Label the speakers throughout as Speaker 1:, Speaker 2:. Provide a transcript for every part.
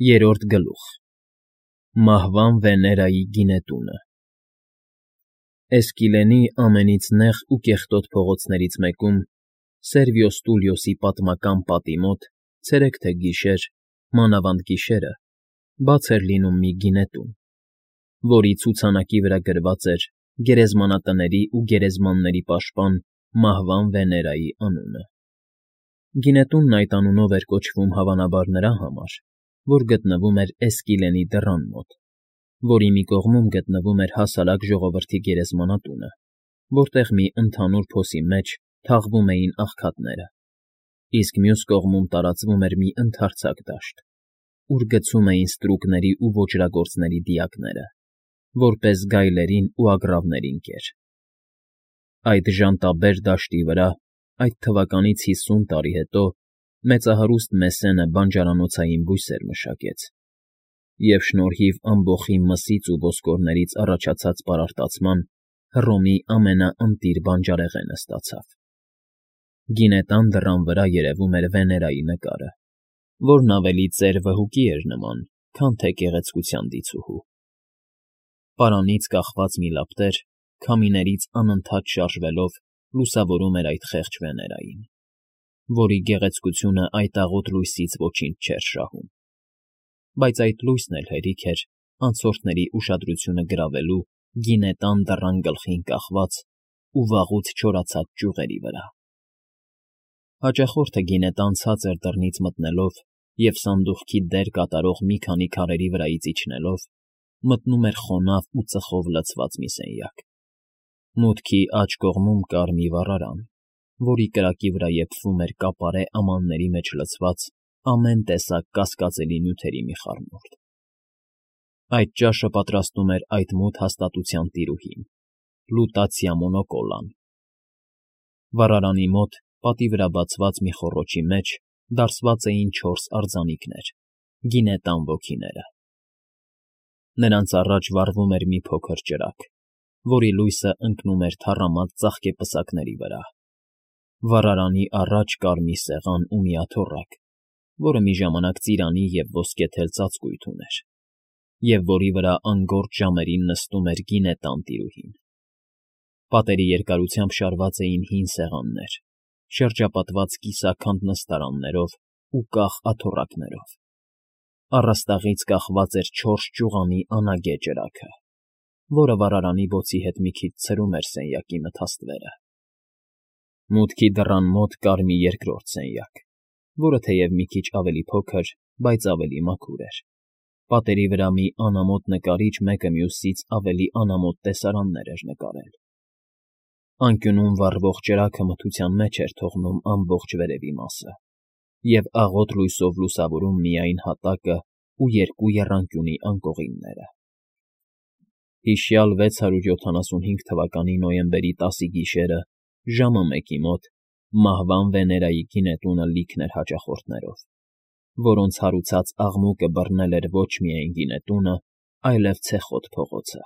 Speaker 1: Երրորդ գլուխ Մահվան Վեներայի գինետունը Էսկիլենի ամենից նեղ ու կեղտոտ փողոցներից մեկում, Սերվիոս Տուլիոսի պատմական պատի մոտ, ցերեկ թե գիշեր, մանավանդ գիշերը, բաց էր լինում մի գինետուն, որի ցուցանակի վրա գրված էր գերեզմանատների ու գերեզմանների պաշտպան Մահվան Վեներայի անունը։ Գինետունն այդ անունով էր կոչվում հավանաբար նրա համար, որ գտնվում էր Էսկիլենի դռան մոտ, որի մի կողմում գտնվում էր հասարակ ժողովրդի գերեզմանատունը, որտեղ մի ընդհանուր փոսի մեջ թաղվում էին աղքատները, իսկ մյուս կողմում տարածվում էր մի ընդարձակ դաշտ, ուր գցում էին ստրուկների ու ոճրագործների դիակները, որպես գայլերին ու ագռավներին կեր։ Այդ ժանտաբեր դաշտի վրա, այդ թվականից 50 տարի հետո, մեծահարուստ Մեսենը բանջարանոցային բույսեր մշակեց, և շնորհիվ ամբոխի մսից ու ոսկորներից առաջացած պարարտացման Հռոմի ամենաընտիր բանջարեղենը ստացավ։ Գինետան դռան վրա երևում էր Վեներայի նկարը, որն ավելի ծեր վհուկի էր նման, քան թե գեղեցկության դիցուհու։ Պարանից կախված մի լապտեր, քամիներից անընդհատ շարժվելով, լուսավորում էր այդ խեղճ Վեներային, որի գեղեցկությունը այդ աղոտ լույսից ոչինչ չէր շահում։ Բայց այդ լույսն էլ հերիք էր անցորդների ուշադրությունը գրավելու գինետան դռան գլխին կախված ու վաղուց չորացած ճյուղերի վրա։ Հաճախորդը գինետան ցածր դռնից մտնելով և սանդուղքի դեր կատարող մի քանի քարերի վրայից իջնելով, մտնում էր խոնավ ու ծխով լցված մի սենյակ։ Մուտքի աջ կողմում կար մի վառարան, որի կրակի վրա եփվում էր կապարե ամանների մեջ լցված ամեն տեսակ կասկածելի նյութերի մի խառնուրդ։ Այդ ճաշը պատրաստում էր այդ մութ հաստատության տիրուհին՝ Լուտացիա Մոնոկոլան։ Վառարանի մոտ, պատի վրա բացված մի խոռոչի մեջ, դարսված էին 4 արձանիկներ՝ գինետան ոգիները։ Նրանց առաջ վառվում էր մի փոքր ճրագ, որի լույսը ընկնում էր թառամած ծաղկեպսակների վրա։ Վառարանի առաջ կար մի սեղան ու մի աթոռակ, որը մի ժամանակ ծիրանի և ոսկեթել ծածկույթ ուներ, և որի վրա անգործ ժամերին նստում էր գինետան տիրուհին։ Պատերի երկարությամբ շարված էին հին սեղաններ, շրջապատված կիսաքանդ նստարաններով ու կախ աթոռակներով։ Առաստաղից կախված էր 4 ճյուղանի անագե ճրագը, որը վառարանի բոցի հետ մի քիչ ցրում էր սենյակի մթաստվերը։ Մուտքի դռան մոտ կար մի երկրորդ սենյակ, որը թեև մի քիչ ավելի փոքր, բայց ավելի մաքուր էր։ Պատերի վրա մի անամոթ նկարիչ մեկը մյուսից ավելի անամոթ տեսարաններ էր նկարել։ Անկյունում վառվող ճրագը մթության մեջ էր թողնում ամբողջ վերևի մասը և աղոտ լույսով լուսավորում միայն հատակը ու 2 եռանկյունի անկողինները։ Հիշյալ 675 թվականի նոյեմբերի 10-ի գիշերը, ժամը 1-ի մոտ, Մահվան Վեներայի գինետունը լիքն էր հաճախորդներով, որոնց հարուցած աղմուկը բռնել էր ոչ միայն գինետունը, այլև ցեխոտ փողոցը։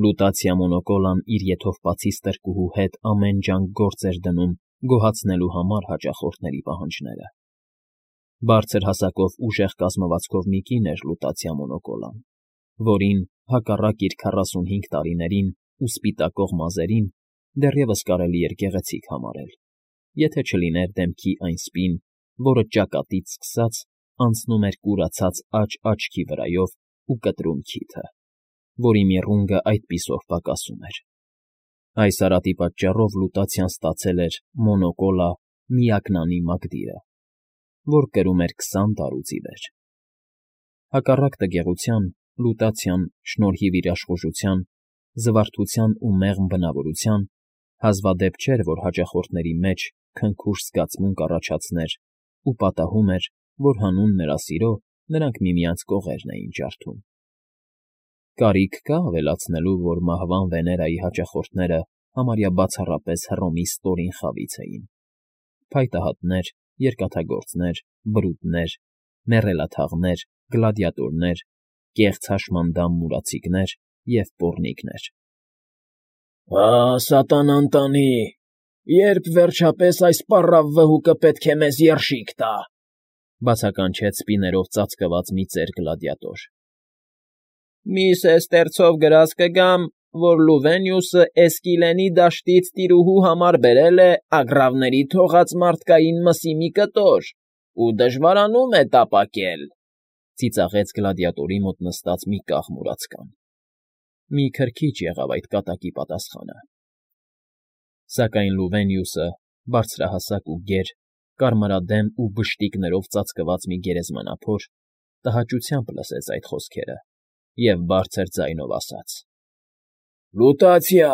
Speaker 1: Լուտացիա Մոնոկոլան իր եթովպացի ստրկուհու հետ ամեն ջանք գործ էր դնում գոհացնելու համար հաճախորդների պահանջները։ Բարձր հասակով ուժեղ կազմվածքով մի կին էր Լուտացիա Մոնոկոլան, որին, հակառակ իր 45 տարիներին ու սպիտակող մազերին, դեռևս կարելի էր գեղեցիկ համարել, եթե չլիներ դեմքի այն սպին, որը ճակատից սկսած անցնում էր կուրացած աջ աչքի վրայով ու կտրում քիթը, որի միրունգը այդպիսով պակասում էր։ Այս արատի պատճառով Լուտացիան ստացել էր Մոնոկոլա միակնանի մակդիրը, որ կրում էր 20 տարուց ի վեր։ Հակառակ տգեղության, Լուտացիան, շնորհիվ իր աշխուժության, զվարթության ու մեղմ բնավորության, հազվադեպ չէր, որ հաճախորդների մեջ քնքուշ զգացմունք առաջացներ ու պատահում էր, որ հանուն նրա սիրո նրանք միմյանց կողերն էին ջարդում։ Կարիք կա՞ ավելացնելու, որ Մահվան Վեներայի հաճախորդները համարյա բացառապես Հռոմի ստորին խավից էին. փայտահատներ, երկաթագործներ, բրուտներ, մեռելաթաղներ, գլադիատորներ, կեղծ հաշմանդամ մուրացիկներ և պոռնիկներ։
Speaker 2: Սատանան տանի, երբ վերջապես այս պառավ վհուկը պետք է մեզ երշիկ տա,
Speaker 1: Բացականչեց սպիներով ծածկված մի ծեր գլադիատոր։ ֊ Մի սեստերցով գրած կգամ, որ Լուվենիուսը Էսկիլենի դաշտից տիրուհու համար բերել է ագռավների թողած մարդկային մսի մի կտոր ու դժվարանում է տապակել,֊ ծիծաղեց գլադիատորի մոտ նստած մի կաղ մուրացկան։ Մի քրքիջ եղավ այդ կատակի պատասխանը։ Սակայն Լուվենիուսը, բարձրահասակ ու գեր, կարմրադեմ ու բշտիկներով ծածկված մի գերեզմանափոր, տհաճությամբ լսեց այդ խոսքերը և բարձր ձայնով ասաց. «Լուտացիա,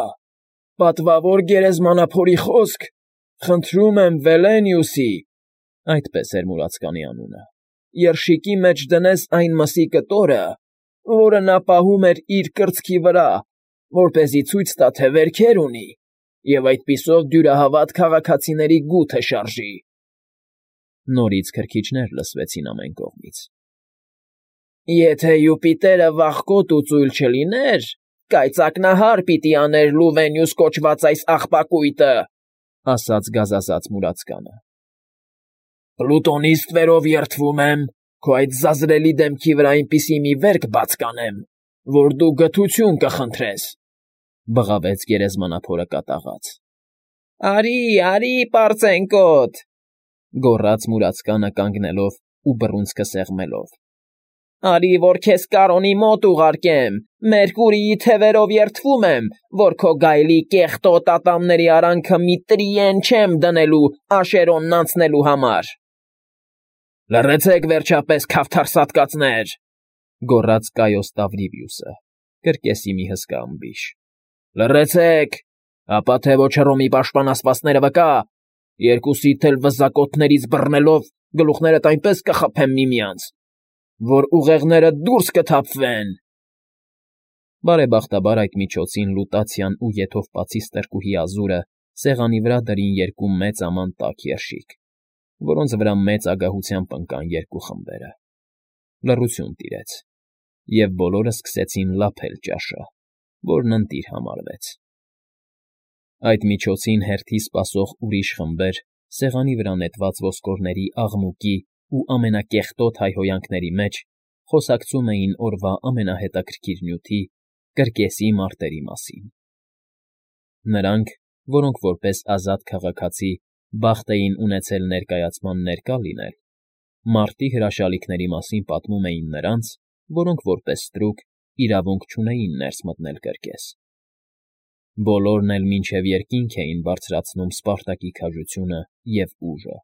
Speaker 1: պատվավոր գերեզմանափորի խոսք, խնդրում եմ Վելենիուսի (այդպես էր մուրացկանի անունը) երշիկի մեջ դնես այն մսի կտորը, որը նա պահում էր իր կրծքի վրա, որպեսզի ցույց տա, թե վերքեր ունի, և այդպիսով դյուրահավատ քաղաքացիների գութը շարժի»։ Նորից քրքիջներ լսվեցին ամեն կողմից։ «Եթե Յուպիտերը վախկոտ ու ծույլ չլիներ, կայծակնահար պիտի աներ Լուվենիուս կոչված այս աղբակույտը,֊ ասաց գազազած մուրացկանը։ «Պլուտոնի ստվերով երդվում եմ քո այդ զազրելի դեմքի վրա այնպիսի մի վերք բաց կանեմ, որ դու գթություն կխնդրես,֊ բղավեց գերեզմանափորը կատաղած։ «Արի, արի, պարծենկոտ,֊ գոռաց մուրացկանը կանգնելով ու բռունցքը սեղմելով,֊ արի, որ քեզ Կարոնի մոտ ուղարկեմ, Մերկուրիի թևերով երդվում եմ, որ քո գայլի կեղտոտ ատամների արանքը մի տրիեն չեմ դնելու Աշերոնն անցնելու համար»։ «Լռեցեք, վերջապես, քավթարսատկացներ,֊ գոռաց Կայոս Տավրիվիուսը, կրկեսի մի հսկա ըմբիշ,֊ լռեցեք, ապա թե ոչ Հռոմի պաշտպանասպասները վկա, երկուսիդ էլ վզակոթներից բռնելով գլուխներդ այնպես կխփեմ միմյանց, որ ուղեղներդ դուրս կթափվեն»։ Բարեբախտաբար այդ միջոցին Լուտացիան ու եթովպացի ստրկուհի Ազուրը սեղանի վրա դրին երկու մեծ աման տաք երշիկ, որոնց վրա մեծ ագահությամբ ընկան երկու խմբերը։ Լռություն տիրեց, և բոլորը սկսեցին լափել ճաշը, որն ընտիր համարվեց։ Այդ միջոցին հերթի սպասող ուրիշ խմբեր, սեղանի վրա նետված ոսկորների աղմուկի ու ամենակեղտոտ հայհոյանքների մեջ, խոսակցում էին օրվա ամենահետաքրքիր նյութի՝ կրկեսի մարտերի մասին։ Նրանք, որոնք որպես ազատ քաղաքացի բախտ էին ունեցել ներկայացման ներկա լինել, մարտի հրաշալիքների մասին պատմում էին նրանց, որոնք որպես ստրուկ իրավունք չունեին ներս մտնել կրկես։ Բոլորն էլ մինչև երկինք էին բարձրացնում Սպարտակի քաջությունը և ուժը,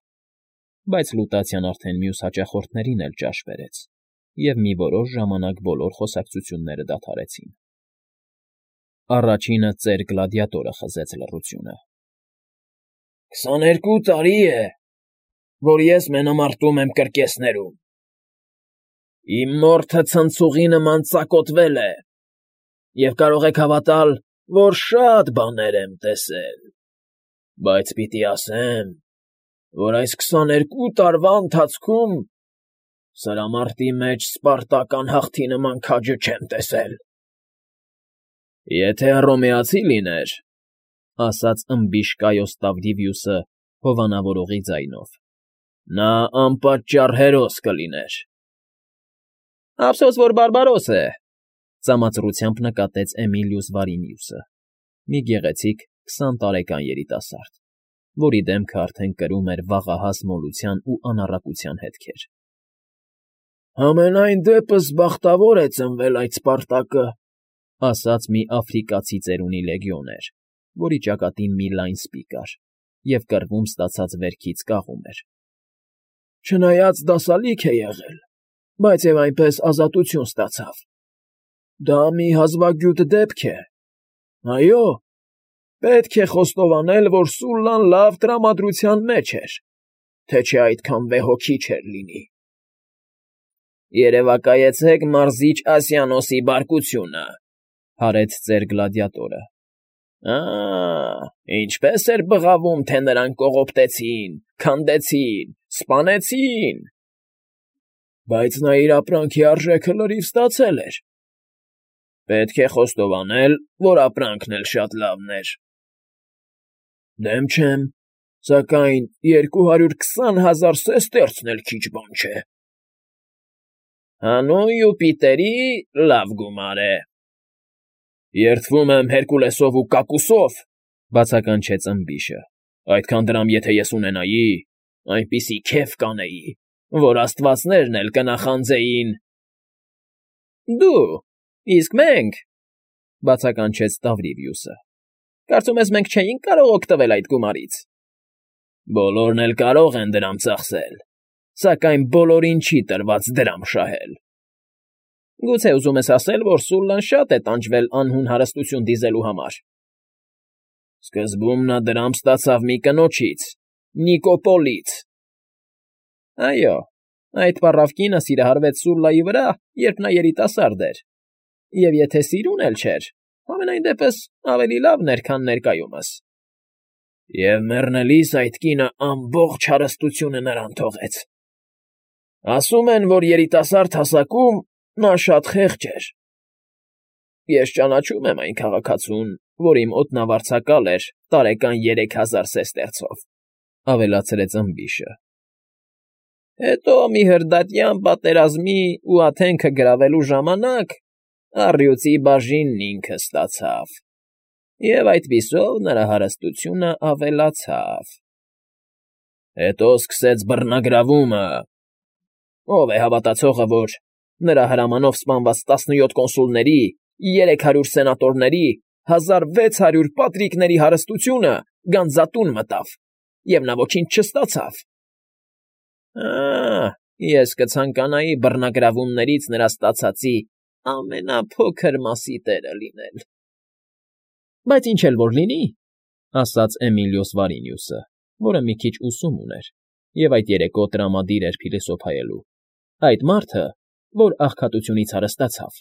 Speaker 1: բայց Լուտացիան արդեն մյուս հաճախորդներին էլ ճաշ բերեց, և մի որոշ ժամանակ բոլոր խոսակցությունները դադարեցին։ Առաջինը ծեր գլադիատորը խզեց լռությունը։ «22 տարի է, որ ես մենամարտում եմ կրկեսներում։ Իմ մորթը ցնցուղի նման ծակոտվել է, և կարող եք հավատալ, որ շատ բաներ եմ տեսել, բայց պիտի ասեմ, որ այս 22 տարվա ընթացքում սրամարտի մեջ սպարտական հաղթի նման քաջը չեմ տեսել»։ «Եթե հռոմեացի լիներ,֊ ասաց ըմբիշ Կայոս Տավրիվիուսը հովանավորողի ձայնով,֊ նա անպատճառ հերոս կլիներ»։ «Ափսոս, որ բարբարոս է,֊ ծամածռությամբ նկատեց Էմիլիուս Վարինիուսը, մի գեղեցիկ 20 տարեկան երիտասարդ, որի դեմքը արդեն կրում էր վաղահաս մոլության ու անառակության հետքեր։ «Համենայն դեպս բախտավոր է ծնվել այդ Սպարտակը,֊ ասաց մի աֆրիկացի ծերունի լեգիոներ, որի ճակատին մի լայն սպի կար և կռվում ստացած վերքից կաղում էր։ Չնայած դասալիկ է եղել, բայց և այնպես ազատություն ստացավ։ Դա մի հազվագյուտ դեպք է։ Այո, պետք է խոստովանել, որ Սուլլան լավ տրամադրության մեջ էր, թե չէ այդքան վեհոքի չէր լինի»։ «Երևակայեցեք Մարզիչ Ասիանոսի բարկությունը,֊ հարեց ծեր գլադիատորը։ Ինչպես էր բղավում, թե նրան կողոպտեցին, քանդեցին, սպանեցին։ Բայց նա իր ապրանքի արժեքը լրիվ ստացել էր։ Պետք է խոստովանել, որ ապրանքն էլ շատ լավն էր։ Դեմ չեմ,
Speaker 2: Սակայն 220,000 սեստերցն էլ քիչ բան չէ։ Հանուն Յուպիտերի լավ գումար է։ Երդվում եմ Հերկուլեսով ու Կակուսով,
Speaker 1: բացականչեց ըմբիշը։
Speaker 2: Այդքան դրամ եթե ես ունենայի, այնպիսի քեֆ կանեի, որ աստվածներն էլ կնախանձեին։
Speaker 1: Դու, իսկ մենք, բացականչեց Տավրիվիուսը։ Կարծում ես մենք չէինք կարող օգտվել այդ գումարից։
Speaker 2: Բոլորն էլ կարող են դրամ ծախսել, սակայն բոլորին չի տրված դրամ շահել։
Speaker 1: Գուցե ուզում ես ասել, որ Սուլլան շատ է տանջվել անհուն հարստություն դիզելու համար։
Speaker 2: Սկզբում նա դրամ ստացավ մի կնոջից, Նիկոպոլից։
Speaker 1: Այո, այդ պառավ կինը սիրահարվեց Սուլլայի վրա, երբ նա երիտասարդ էր։ Եվ եթե սիրուն էլ չէր, համենայն դեպս ավելի լավն էր, քան ներկայումս։
Speaker 2: Եվ մեռնելիս այդ կինը ամբողջ հարստությունը նրան թողեց։ Ասում են, որ երիտասարդ հասակում նա շատ խեղճ էր։
Speaker 1: Ես ճանաչում եմ այն քաղաքացուն, որ իմ օդնավարձակալ էր տարեկան 3000 սեստերցով, ավելացրեց ըմբիշը։ Հետո մի հրդատյան պատերազմի ու Աթենքը գրավելու ժամանակ առյուծի բաժինն ինքը ստացավ, և այդպիսով նրա հարստությունը ավելացավ։
Speaker 2: Հետո սկսեց բռնագրավումը։
Speaker 1: Ով է հավատացողը, որ նրա հրամանով սպանված 17 կոնսուլների, 300 սենատորների, 1600 պատրիկների հարստությունը գանձատուն մտավ, և նա ոչինչ չստացավ։ Ես կցանկանայի բռնագրավումներից նրա ստացածի ամենափոքր մասի տերը լինել։ Բայց ինչ էլ որ լինի, ասաց Էմիլիոս Վարինիուսը, որը մի քիչ ուսում ուներ և այդ երեկո տրամադիր էր փիլիսոփայելու, այդ մարդը, որ աղքատությունից հարստացավ,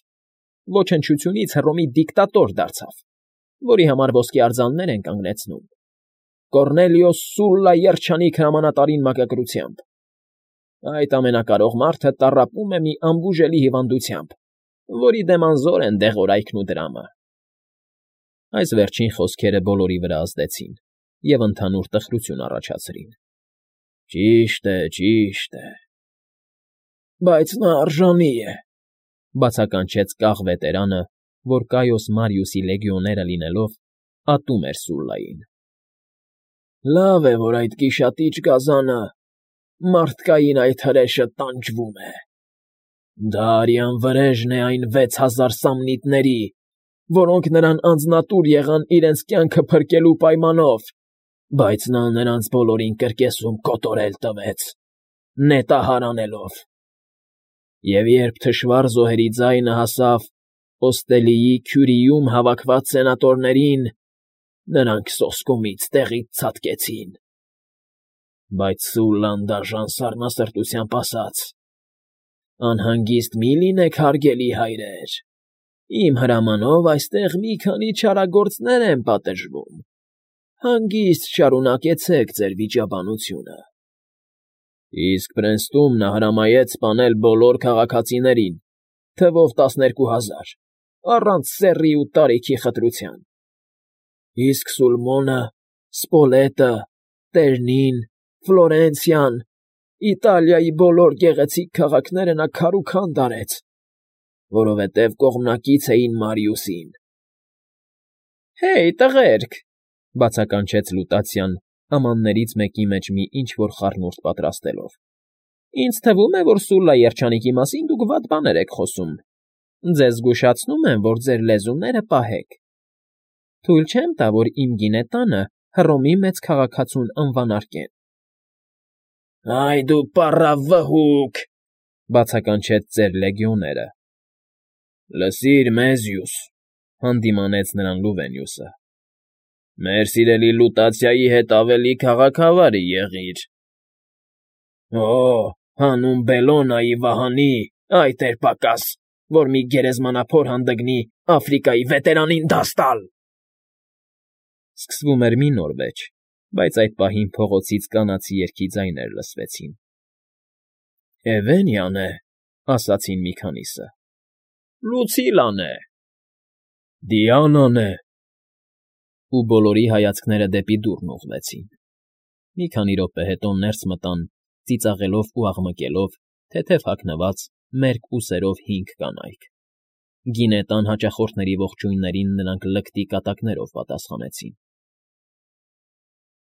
Speaker 1: ոչնչությունից Հռոմի դիկտատոր դարձավ, որի համար ոսկե արձաններ են կանգնեցնում, Կոռնելիոս Սուլլա երջանիկ հրամանատարին մակագրությամբ։ Այդ ամենակարող մարդը տառապում է մի անբուժելի հիվանդությամբ, որի դեմ անզոր են դեղորայքն ու դրամը։ Այս վերջին խոսքերը բոլորի վրա ազդեցին և ընդհանուր տխրություն առաջացրին։
Speaker 2: Ճիշտ է, բայց նա արժանի է,
Speaker 1: բացականչեց կախ վետերանը, որ Կայոս Մարիուսի լեգիոները լինելով ատում էր Սուլլային։
Speaker 2: Լավ է, որ այդ գիշատիչ գազանը մարդկային այդ հրեշը տանջվում է։ Դա արյան վրեժն է այն 6000 սամնիտների, որոնք նրան անձնատուր եղան իրենց կյանքը փրկելու պայմանով, բայց նա նրանց բոլորին կրկեսում կոտորել տվեց, նետահար անելով։ Եվ երբ թշվառ զոհերի ձայնը հասավ Օստելիի քյուրիում հավաքված սենատորներին, նրանք սոսկումից տեղից ցատկեցին։ Բայց Սուլլան դաժան սառնասրտությամբ ասաց. «Անհանգիստ մի լինեք, հարգելի հայրեր, իմ հրամանով այստեղ մի քանի չարագործներ են պատժվում, հանգիստ շարունակեցեք ձեր վիճաբանությունը»։ Իսկ Պրենստում նա հրամայեց սպանել բոլոր քաղաքացիներին, թվով 12000, առանց սեռի ու տարիքի խտրության։ Իսկ Սուլմոնը, Սպոլետը, Տերնին, Ֆլորենցիան, Իտալիայի բոլոր գեղեցիկ քաղաքները նա քարուքանդ արեց, որովհետև կողմնակից էին Մարիուսին։ «Հեյ, տղերք», բացականչեց Լուտացիան, ամաններից մեկի մեջ մի ինչ֊որ խառնուրդ պատրաստելով։ «Ինձ թվում է, որ Սուլլա երջանիկի մասին դուք վատ բաներ եք խոսում։ Ձեզ զգուշացնում եմ, որ ձեր լեզուները պահեք։ Թույլ չեմ տա, որ իմ գինետանը Հռոմի մեծ քաղաքացուն անվանարկեն»։ «Այ դու պառավ վհուկ», բացականչեց ծեր լեգիոները։ «Լսիր, Մեզիուս», հանդիմանեց նրան Լուվենիուսը։ «Մեր սիրելի Լուտացիայի հետ ավելի քաղաքավարի եղիր»։ «Օ, հանուն Բելոնայի վահանի, այդ էր պակաս, որ մի գերեզմանափոր հանդգնի Աֆրիկայի վետերանին դաս տալ»։ Սկսվում էր մի նոր վեճ, բայց այդ պահին փողոցից կանացի երգի ձայներ լսվեցին։ «Էվենիան է», ասացին մի քանիսը։ «Լուցիլան է»։ «Դիանան է»։ Ու բոլորի հայացքները դեպի դուռն ուղղվեցին։
Speaker 1: Մի քանի րոպե հետո ներս մտան, ծիծաղելով ու աղմկելով, թեթև հագնված, մերկ ուսերով 5 կանայք։ Գինետան հաճախորդների ողջույններին նրանք լկտի կատակներով պատասխանեցին։